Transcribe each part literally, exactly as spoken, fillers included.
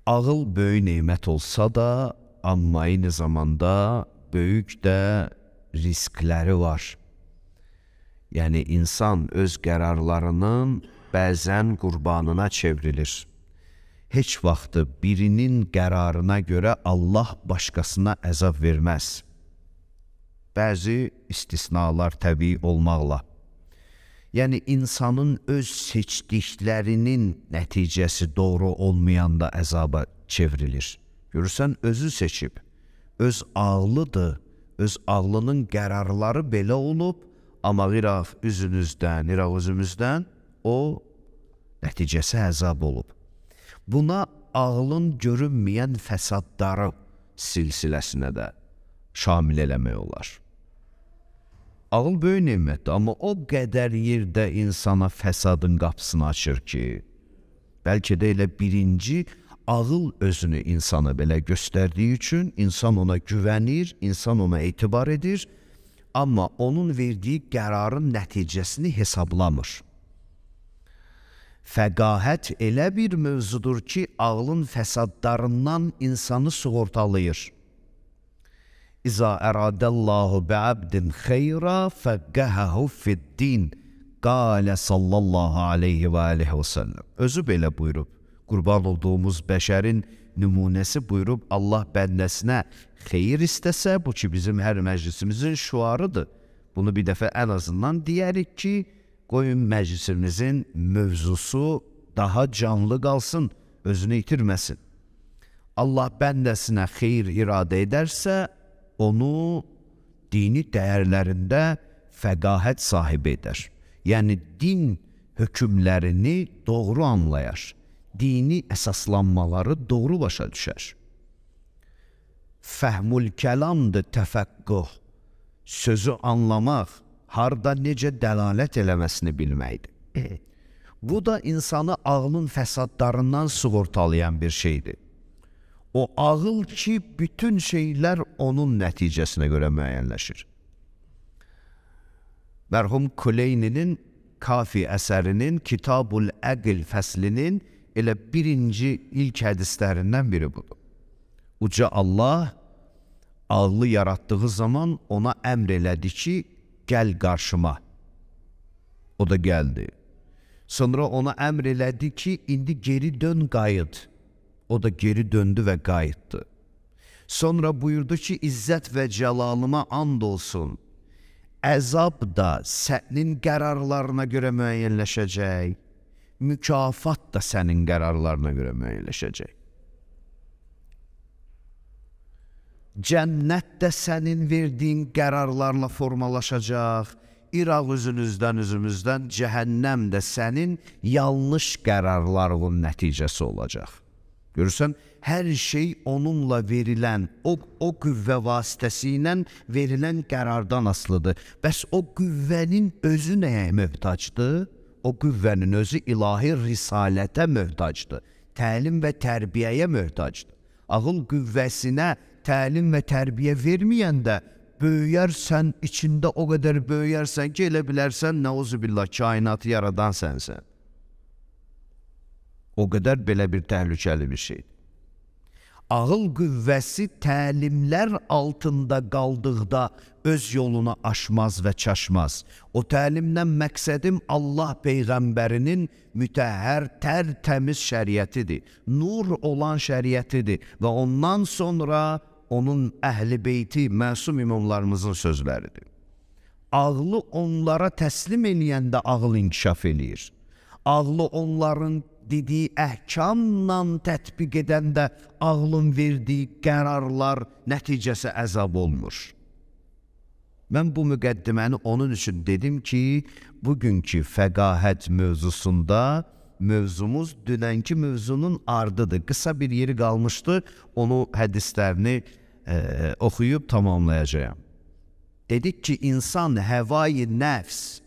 Ağıl böyük nemət olsa da, amma eyni zamanda böyük də riskləri var. Yəni, insan öz qərarlarının bəzən qurbanına çevrilir. Heç vaxtı birinin qərarına görə Allah başqasına əzab verməz. Bəzi istisnalar təbii olmaqla. Yəni, insanın öz seçdiklərinin nəticəsi doğru olmayanda əzaba çevrilir. Görürsən, özü seçib, öz ağlıdır, öz ağlının qərarları belə olub, amma qiraq üzünüzdən, qiraq özümüzdən o nəticəsi əzab olub. Buna ağlın görünməyən fəsadları silsiləsinə də şamil eləmək olar. Ağıl böyük nemətdir, amma o qədər yerdə insana fəsadın qapısını açır ki, bəlkə də elə birinci ağıl özünü insana belə göstərdiyi üçün insan ona güvənir, insan ona etibar edir, amma onun verdiyi qərarın nəticəsini hesablamır. Fəqahət elə bir mövzudur ki, ağlın fəsadlarından insanı sığortalayır. İza əradəllahu bə'abdin xeyra fəqqəhəhu fiddin qalə sallallahu aleyhi və aleyhi və səlləm. Özü belə buyurub, qurban olduğumuz bəşərin nümunəsi buyurub, Allah bəndəsinə xeyir istəsə, bu ki bizim hər məclisimizin şuarıdır. Bunu bir dəfə ən azından deyərik ki, qoyun məclisimizin mövzusu daha canlı qalsın, özünü itirməsin. Allah bəndəsinə xeyir iradə edərsə, onu dini dəyərlərində fəqahət sahibi edər. Yəni, din hökmlərini doğru anlayar, dini əsaslanmaları doğru başa düşər. Fəhmül kəlamdır təfəqquh, sözü anlamaq, harda necə dəlalət eləməsini bilməkdir. Bu da insanı ağlın fəsadlarından sığortalayan bir şeydir. O ağıl ki, bütün şeylər onun nəticəsinə görə müəyyənləşir. Mərhum Kuleyninin Kafi əsərinin Kitab-ül Əql fəslinin elə birinci ilk hədislərindən biri budur. Uca Allah ağlı yaratdığı zaman ona əmr elədi ki, gəl qarşıma. O da gəldi. Sonra ona əmr elədi ki, indi geri dön, qayıt. O da geri döndü və qayıtdı. Sonra buyurdu ki, izzət və cəlalıma and olsun. Əzab da sənin qərarlarına görə müəyyənləşəcək, mükafat da sənin qərarlarına görə müəyyənləşəcək. Cənnət də sənin verdiyin qərarlarla formalaşacaq, İraq üzünüzdən üzümüzdən cəhənnəm də sənin yanlış qərarlarının nəticəsi olacaq. Görürsən, hər şey onunla verilən, o, o qüvvə vasitəsilə verilən qərardan asılıdır. Bəs o qüvvənin özü nəyə möhtacdır? O qüvvənin özü ilahi risalətə möhtacdır. Təlim və tərbiyəyə möhtacdır. Ağıl qüvvəsinə təlim və tərbiyə verməyəndə böyüyərsən, içində o qədər böyüyərsən ki, elə bilərsən, nəuzubillah, kainatı yaradan sənsən. O qədər belə bir təhlükəli bir şeydir. Ağıl qüvvəsi təlimlər altında qaldıqda öz yolunu aşmaz və çaşmaz. O təlimdən məqsədim Allah Peyğəmbərinin mütəhhər, tərtəmiz şəriətidir, nur olan şəriətidir və ondan sonra onun əhl-i beyti, məsum imamlarımızın sözləridir. Ağlı onlara təslim eləyəndə ağıl inkişaf eləyir. Ağlı onların dediyi əhkamla tətbiq edəndə ağlın verdiyi qərarlar nəticəsi əzab olmur. Mən bu müqəddiməni onun üçün dedim ki, bugünkü fəqahət mövzusunda mövzumuz dünənki mövzunun ardıdır. Qısa bir yeri qalmışdı, onu hədislərini e, oxuyub tamamlayacağım. Dedik ki, insan həvai nəfs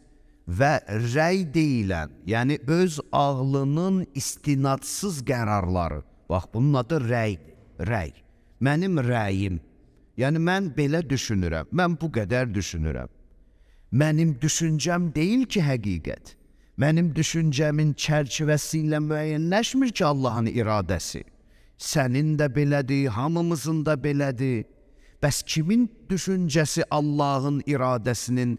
və rəy deyilən, yəni öz ağlının istinadsız qərarları, bax bunun adı rəydir, rəy, mənim rəyim, yəni mən belə düşünürəm, mən bu qədər düşünürəm. Mənim düşüncəm deyil ki, həqiqət, mənim düşüncəmin çərçivəsi ilə müəyyənləşmir ki, Allahın iradəsi. Sənin də belədir, hamımızın da belədir. Bəs kimin düşüncəsi Allahın iradəsinin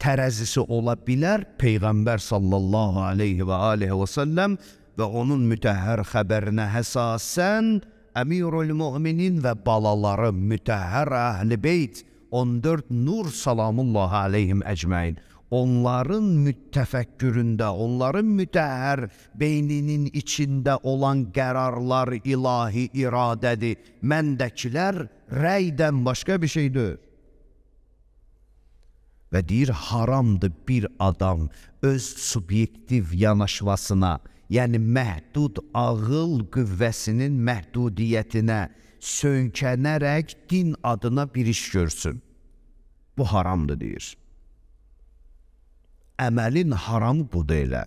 tərəzisi ola bilər? Peyğəmbər sallallahu aleyhi və aleyhi və səlləm və onun mütəhhər xəbərinə həsasən Əmirul Müminin və balaları mütəhhər Əhl-i Beyt on dörd nur salamullahi aleyhim əcməin. Onların mütəfəkküründə, onların mütəhhər beyninin içində olan qərarlar ilahi iradədir. Məndəkilər rəydən başqa bir şeydir. Və deyir, haramdır bir adam öz subyektiv yanaşmasına, yəni məhdud ağıl qüvvəsinin məhdudiyyətinə söykənərək din adına bir iş görsün. Bu haramdır, deyir. Əməlin haramı budur elə.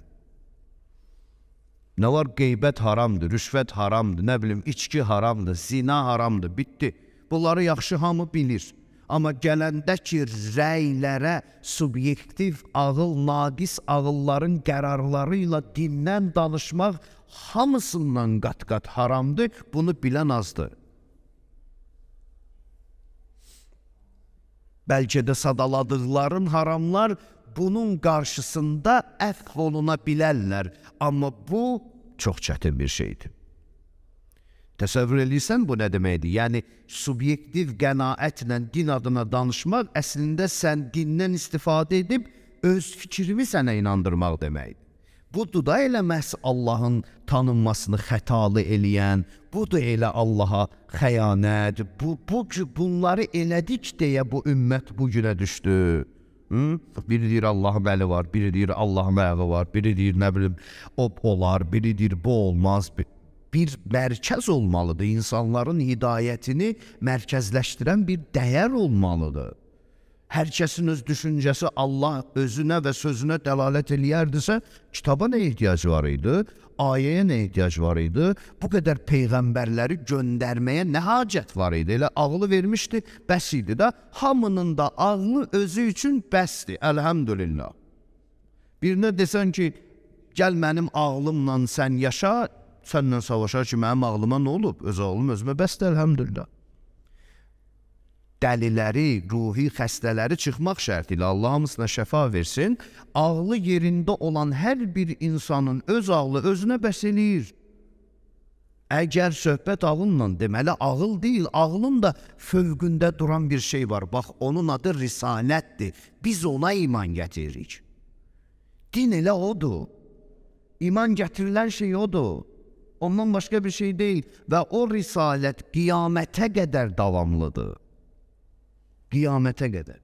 Nə var? Qeybət haramdır, rüşvət haramdır, nə bilim, içki haramdır, zina haramdır, bitdi. Bunları yaxşı hamı bilir. Amma gələndə ki, rəylərə subyektiv ağıl, naqis ağılların qərarları ilə dindən danışmaq hamısından qat-qat haramdır, bunu bilən azdır. Bəlkə də sadaladıqların haramlar bunun qarşısında əfv oluna bilərlər. Amma bu çox çətin bir şeydir. Təsəvvür edirsən bu nə deməkdir? Yəni, subyektiv qənaətlə din adına danışmaq əslində sən dindən istifadə edib öz fikrimi sənə inandırmaq deməkdir. Budur da elə məhz Allahın tanınmasını xətalı eləyən, budur elə Allaha xəyanət, bu, bu, bunları elədik deyə bu ümmət bu günə düşdü. Hı? Biri deyir Allah'ın əli var, biri deyir Allah'ın ayağı var, biri deyir nə bilim o olar, biri deyir bu olmaz. Bir mərkəz olmalıdır, insanların hidayətini mərkəzləşdirən bir dəyər olmalıdır. Hər kəsin öz düşüncəsi Allah özünə və sözünə dəlalət eləyərdisə, kitaba nə ehtiyac var idi? Ayəyə nə ehtiyac var idi? Bu qədər peyğəmbərləri göndərməyə nə hacət var idi? Elə ağlı vermişdi, bəs idi də. Hamının da ağlı özü üçün bəsdir, əlhəmdülillah. Birinə desən ki, gəl mənim ağlımla sən yaşa, səndən savaşar ki, mənim ağlıma nə olub? Öz ağlım özümə bəsdir, əlhəmdülillah. Dəliləri, ruhi xəstələri çıxmaq şərti ilə Allah hamısına şəfa versin, ağlı yerində olan hər bir insanın öz ağlı özünə bəs eləyir. Əgər söhbət ağılla, deməli ağıl deyil, ağlın da fövqündə duran bir şey var. Bax, onun adı risalətdir. Biz ona iman gətiririk. Din elə odur. İman gətirilən şey odur. Ondan başqa bir şey deyil. Və o risalət qiyamətə qədər davamlıdır. Qiyamətə qədər.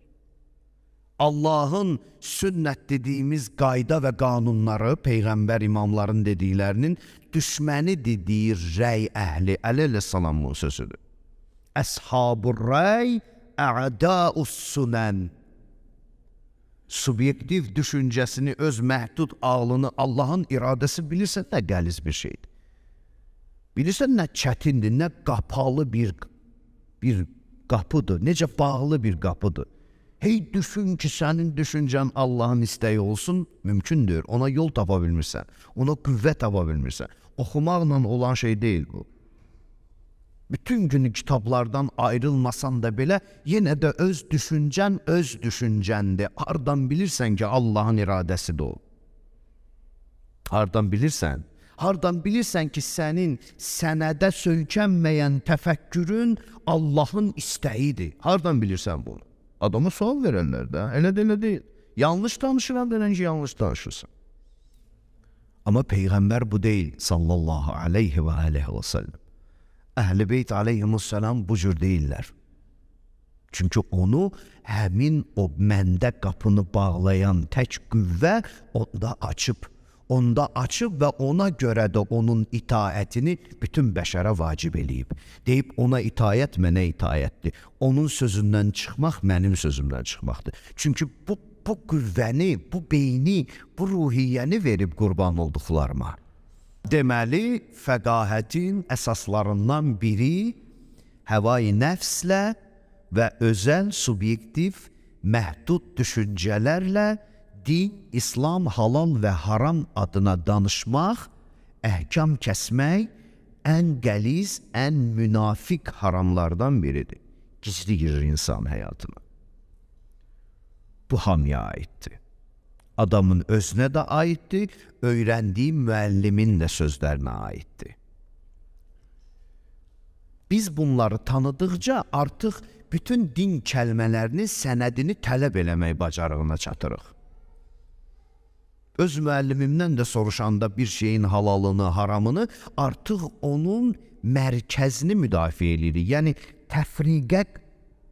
Allahın sünnət dediyimiz qayda və qanunları, Peyğəmbər imamların dediklərinin düşməni dediyi rəy əhli, əleyhissalamın sözüdür. Əshab-ur rəy, ə'dâus sunən. Subyektiv düşüncəsini, öz məhdud ağlını, Allahın iradəsi bilirsən nə qəliz bir şeydir. Bilirsən nə çətindir, nə qapalı bir bir qapıdır, necə bağlı bir qapıdır. Hey düşün ki, sənin düşüncən Allahın istəyi olsun, mümkündür. Ona yol tapa bilmirsən, ona qüvvət tapa bilmirsən. Oxumaqla olan şey deyil bu. Bütün günü kitablardan ayrılmasan da belə, yenə də öz düşüncən, öz düşüncəndir. Hardan bilirsən ki, Allahın iradəsidir o? Hardan bilirsən? Hardan bilirsən ki, sənin sənədə söykənməyən təfəkkürün Allahın istəyidir? Hardan bilirsən bunu? Adama sual verənlər də, elə də elə deyil. Yanlış danışıram denən ki, yanlış danışırsan. Amma Peyğəmbər bu deyil, sallallahu aleyhi və aleyhi və səlləm. Əhl-i Beyt aleyhimussalam bu cür deyirlər. Çünki onu həmin o məndə qapını bağlayan tək qüvvə onda açıb. Onda açıb və ona görə də onun itaətini bütün bəşərə vacib eləyib. Deyib, ona itaət mənə itaətdir. Onun sözündən çıxmaq mənim sözümdən çıxmaqdır. Çünki bu, bu qüvvəni, bu beyni, bu ruhiyyəni verib qurban olduqlarıma. Deməli, fəqahətin əsaslarından biri həvai nəfslə və özəl, subyektiv, məhdud düşüncələrlə din, İslam, halal və haram adına danışmaq, əhkam kəsmək, ən qəliz, ən münafik haramlardan biridir. Gizli girir insan həyatına. Bu hamıya aiddir. Adamın özünə də aiddir, öyrəndiyi müəllimin də sözlərinə aiddir. Biz bunları tanıdıqca artıq bütün din kəlmələrini, sənədini tələb eləmək bacarığına çatırıq. Öz müəllimimdən də soruşanda bir şeyin halalını, haramını artıq onun mərkəzini müdafiə edirik. Yəni təfriqə,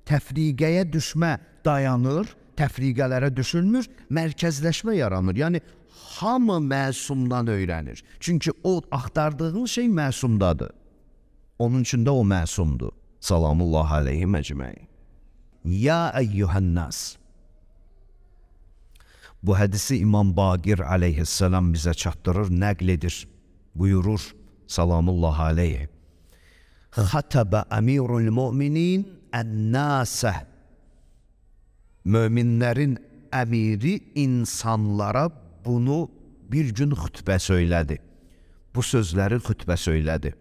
təfriqəyə düşmə dayanır, təfriqələrə düşülmür, mərkəzləşmə yaranır. Yəni hamı məsumdan öyrənir. Çünki o axtardığın şey məsumdadır. Onun üçün də o məsumdur. Salamullah aleyhi məcməin. Ya əyyuhənnas. Bu hədisi İmam Baqir aleyhisselam bizə çatdırır, nəql edir, buyurur. Salamullah aleyhi. Xatəbə əmirul müminin ən-nəsə. Möminlərin əmiri insanlara bunu bir gün xütbə söylədi. Bu sözləri xütbə söylədi.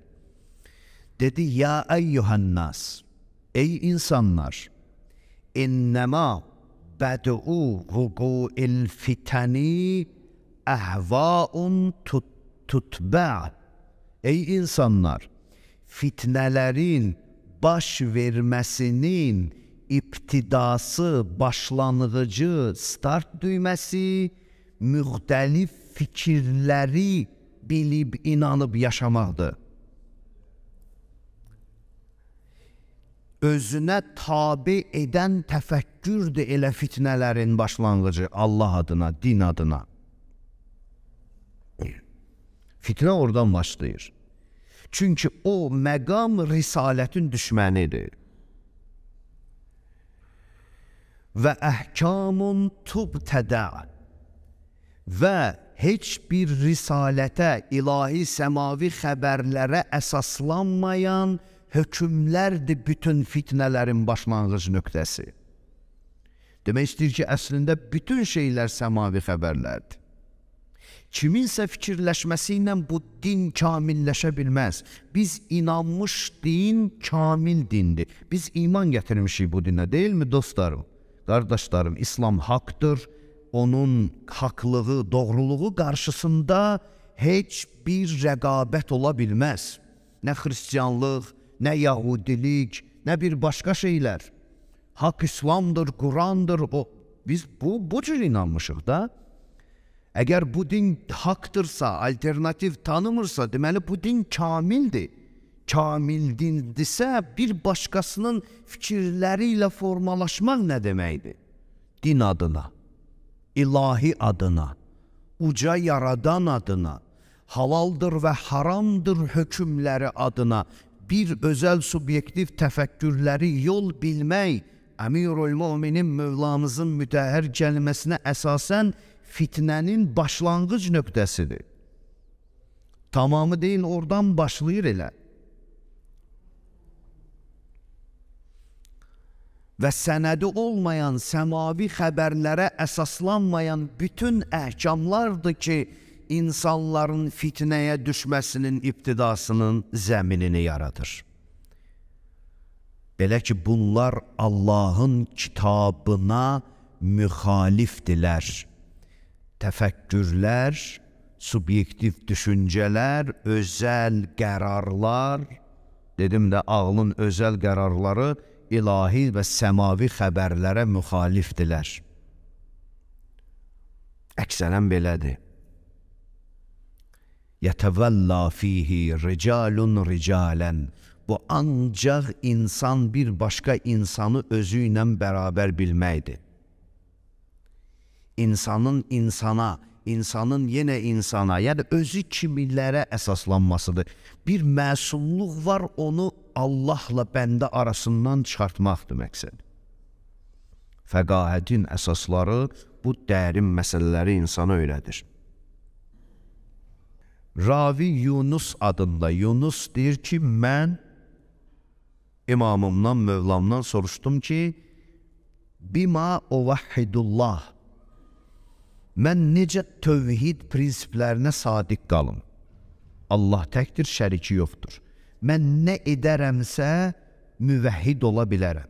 Dedi, ya əyyuhənnas, ey insanlar, innəmə bəd'u vuqu'il fitəni əhvaun tutbə. Ey insanlar, fitnələrin baş verməsinin İbtidası, başlanğıcı, start düyməsi, müxtəlif fikirləri bilib, inanıb yaşamaqdır. Özünə tabi edən təfəkkürdür elə fitnələrin başlanğıcı Allah adına, din adına. Fitnə oradan başlayır. Çünki o məqam risalətin düşmənidir. Və əhkamun tubtədə və heç bir risalətə, ilahi səmavi xəbərlərə əsaslanmayan hökmlərdir bütün fitnələrin başlanğıc nöqtəsi. Demək istəyir ki, əslində bütün şeylər səmavi xəbərlərdir. Kiminsə fikirləşməsi ilə bu din kamilləşə bilməz. Biz inanmış din kamil dindir. Biz iman gətirmişik bu dinə, deyilmi dostlarım? Qardaşlarım, İslam haqdır, onun haqlığı, doğruluğu qarşısında heç bir rəqabət ola bilməz. Nə xristiyanlıq, nə yahudilik, nə bir başqa şeylər. Haqq İslamdır, Qurandır. O, biz bu, bu cür inanmışıq da. Əgər bu din haqdırsa, alternativ tanımırsa, deməli bu din kamildir. Kamil dindirsə, bir başqasının fikirləri ilə formalaşmaq nə deməkdir? Din adına, ilahi adına, uca yaradan adına, halaldır və haramdır hökmləri adına bir özəl subyektiv təfəkkürləri yol bilmək, Əmirul Müminin Mövlamızın mütəhhər kəlməsinə əsasən fitnənin başlanğıc nöqtəsidir. Tamamı deyil, oradan başlayır elə. Və sənədi olmayan, səmavi xəbərlərə əsaslanmayan bütün əhkamlardır ki, insanların fitnəyə düşməsinin ibtidasının zəminini yaradır. Belə ki, bunlar Allahın kitabına müxalifdirlər. Təfəkkürlər, subyektiv düşüncələr, özəl qərarlar, dedim də ağlın özəl qərarları ilahi və səmavi xəbərlərə müxalifdirlər. Əksərən belədir. Yətəvəlla fihi ricalun ricalən. Bu ancaq insan bir başqa insanı özü ilə bərabər bilməkdir. İnsanın insana, insanın yenə insana, yəni özü kimilərə əsaslanmasıdır. Bir məsumluq var, onu Allahla bəndə arasından çıxartmaqdır məqsəd. Fəqahətin əsasları bu dərin məsələləri insana öyrədir. Ravi Yunus adında, Yunus deyir ki, mən imamımdan, Mövlamdan soruşdum ki, bima uvahhidullah, mən necə tövhid prinsiplərinə sadiq qalım? Allah təkdir, şəriki yoxdur. Mən nə edərəmsə müvəhhid ola bilərəm.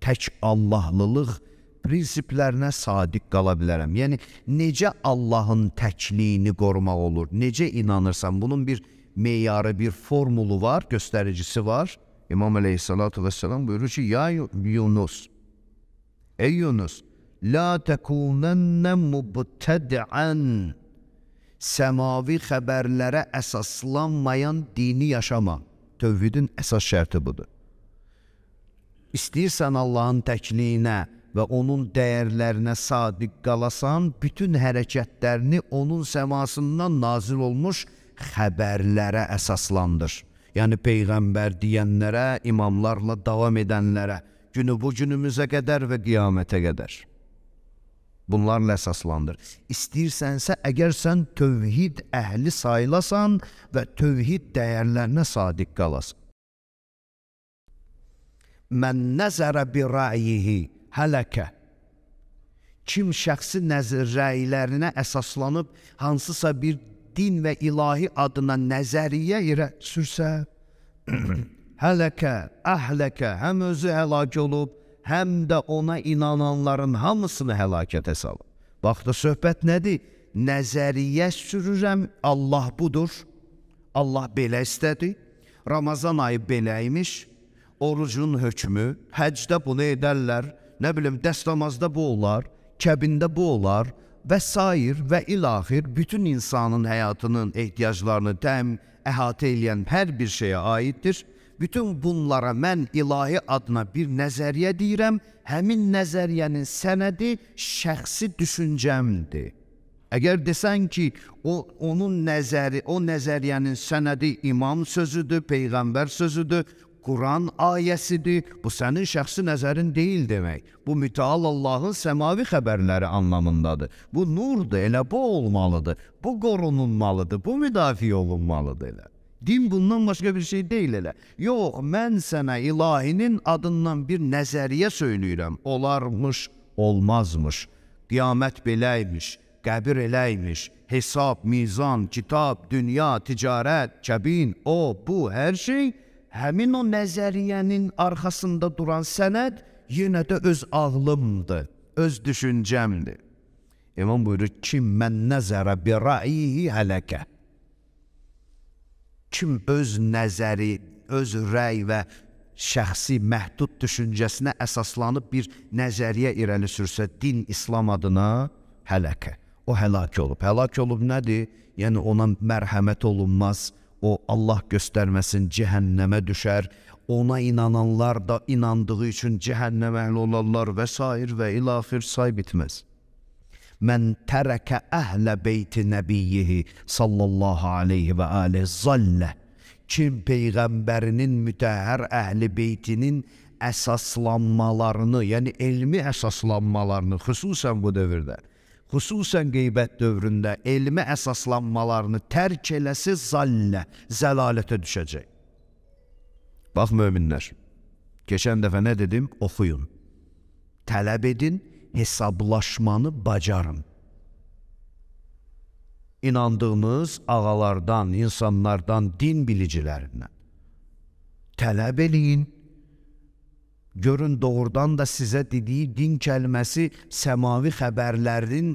Tək Allahlılıq prinsiplərinə sadiq qala bilərəm. Yəni, necə Allahın təkliyini qorumaq olur, necə inanırsan, bunun bir meyarı, bir formulu var, göstəricisi var. İmam Aleyhissalatu vesselam buyurur ki, ya Yunus, ey Yunus, la tekunenne mubtedi'an, səmavi xəbərlərə əsaslanmayan dini yaşama. Tövhidin əsas şərti budur. İstəyirsən Allahın təkliyinə və onun dəyərlərinə sadiq qalasan, bütün hərəkətlərini onun səmasından nazil olmuş xəbərlərə əsaslandır. Yəni, Peyğəmbər deyənlərə, imamlarla davam edənlərə, günü bu günümüzə qədər və qiyamətə qədər. Bunlarla əsaslandır. İstəyirsənsə, əgər sən tövhid əhli sayılasan və tövhid dəyərlərinə sadiq qalasan. Mən nəzərə bir rəyihi hələkə. Kim şəxsi nəzir rəylərinə əsaslanıb hansısa bir din və ilahi adına nəzəriyyə irə sürsə, hələkə, əhləkə, həm özü həlak olub, həm də ona inananların hamısını həlakətə salıb. Baxdı, söhbət nədir? Nəzəriyyə sürürəm, Allah budur, Allah belə istədi, Ramazan ayı beləymiş, orucun hökmü, həcdə bunu edərlər, nə bilim, dəstəmazda bu olar, kəbində bu olar və sair və ilaxir bütün insanın həyatının ehtiyaclarını təm, əhatə eləyən hər bir şeyə aiddir. Bütün bunlara mən ilahi adına bir nəzəriyyə deyirəm, həmin nəzəriyyənin sənədi şəxsi düşüncəmdir. Əgər desən ki, o, onun nəzəri, o nəzəriyyənin sənədi imam sözüdür, Peyğəmbər sözüdür, Quran ayəsidir, bu sənin şəxsi nəzərin deyil demək. Bu mütəal Allahın səmavi xəbərləri anlamındadır. Bu nurdur, elə bu olmalıdır, bu qorunulmalıdır, bu müdafiə olunmalıdır elə. Din bundan başqa bir şey deyil elə. Yox, mən sənə ilahinin adından bir nəzəriyyə söyləyirəm. Olarmış, olmazmış, qiyamət beləymiş, qəbir eləymiş, hesab, mizan, kitab, dünya, ticarət, kəbin, o, bu, hər şey həmin o nəzəriyyənin arxasında duran sənəd yenə də öz ağlımdır, öz düşüncəmdir. İmam buyurur, kim mən nəzərə bir rəyihi hələkə. Kim öz nəzəri, öz rəy və şəxsi məhdud düşüncəsinə əsaslanıb bir nəzəriyyə irəli sürsə din İslam adına hələkə. O həlak olub. Həlak olub nədir? Yəni ona mərhəmət olunmaz. O Allah göstərməsin cəhənnəmə düşər, ona inananlar da inandığı üçün cəhənnəmə əhl olarlar və s. və ilaxir say bitməz. Mən tərəkə əhlə beyti nəbiyyihi sallallahu aleyhi və aleyhi zallə. Kim Peyğəmbərinin mütəhhər əhli beytinin əsaslanmalarını, yəni elmi əsaslanmalarını, xüsusən bu dövrdə, xüsusən qeybət dövründə elmi əsaslanmalarını tərk eləsi zallə, zəlalətə düşəcək. Bax, möminlər, keçən dəfə nə dedim? Oxuyun, tələb edin, hesablaşmanı bacarın. İnandığınız ağalardan, insanlardan, din bilicilərindən tələb eləyin. Görün, doğrudan da sizə dediyi din kəlməsi səmavi xəbərlərin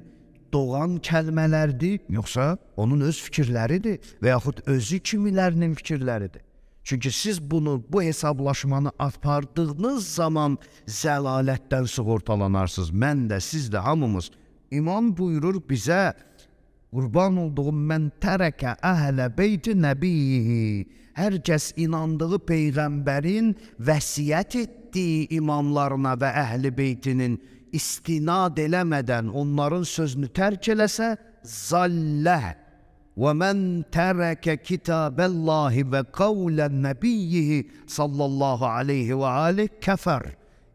doğan kəlmələrdir, yoxsa onun öz fikirləridir və yaxud özü kimilərinin fikirləridir. Çünki siz bunu, bu hesablaşmanı apardığınız zaman zəlalətdən sığortalanarsınız. Mən də, siz də, hamımız. İmam buyurur bizə, qurban olduğum mən tərəkə əhlə beyti nəbiyyi. Hər kəs inandığı Peyğəmbərin vəsiyyət etdiyi imamlarına və əhl-i beytinin istinad eləmədən onların sözünü tərk eləsə, zalləh. Və mən tərəkə kitabəllahi və qavlən nəbiyyihi sallallahu aleyhi və aleyh kəfər.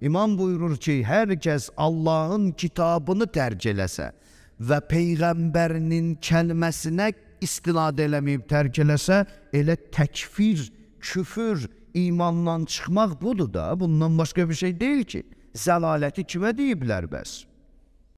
İmam buyurur ki, hər kəs Allahın kitabını tərk eləsə və Peyğəmbərinin kəlməsinə istinad eləməyib tərk eləsə, elə təkfir, küfür, imandan çıxmaq budur da, bundan başqa bir şey deyil ki. Zəlaləti kimə deyiblər bəs?